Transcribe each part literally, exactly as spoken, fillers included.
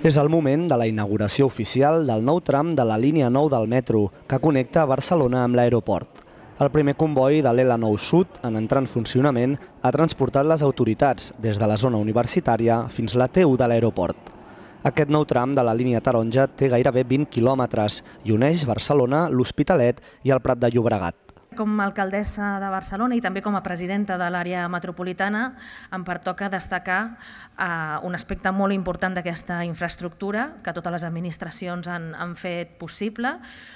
És el moment de la inauguració oficial del nou tram de la línia nou del metro, que connecta Barcelona amb l'aeroport. El primer comboi de l'E L A nou Sud, en entrar en funcionament, ha transportat les autoritats des de la zona universitària fins a la T u de l'aeroport. Aquest nou tram de la línia taronja té gairebé vint quilòmetres i uneix Barcelona, l'Hospitalet i el Prat de Llobregat. Com a alcaldessa de Barcelona i també com a presidenta de l'àrea metropolitana em pertoca destacar eh, un aspecte molt important d'aquesta infraestructura que totes les administracions han, han fet possible,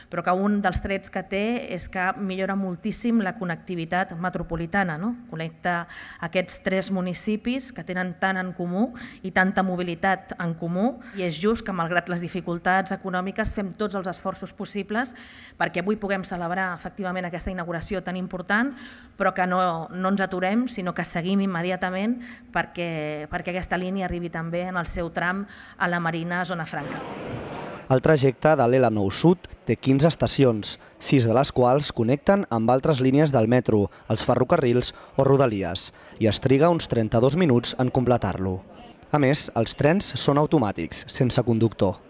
però que un dels trets que té és que millora moltíssim la connectivitat metropolitana, no? Connecta aquests tres municipis que tenen tant en comú i tanta mobilitat en comú, i és just que malgrat les dificultats econòmiques fem tots els esforços possibles perquè avui puguem celebrar efectivament aquesta inauguració tan important, però que no, no ens aturem, sinó que seguim immediatament perquè, perquè aquesta línia arribi també en el seu tram a la Marina Zona Franca. El trajecte de l'E L A nou Sud té quinze estacions, sis de les quals connecten amb altres línies del metro, els ferrocarrils o rodalies, i es triga uns trenta-dos minuts en completar-lo. A més, els trens són automàtics, sense conductor.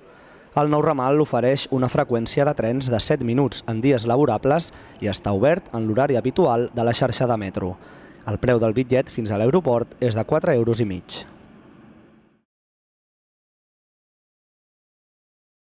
El nou ramal ofereix una freqüència de trens de set minuts en dies laborables i està obert en l'horari habitual de la xarxa de metro. El preu del bitllet fins a l'aeroport és de quatre euros i mig.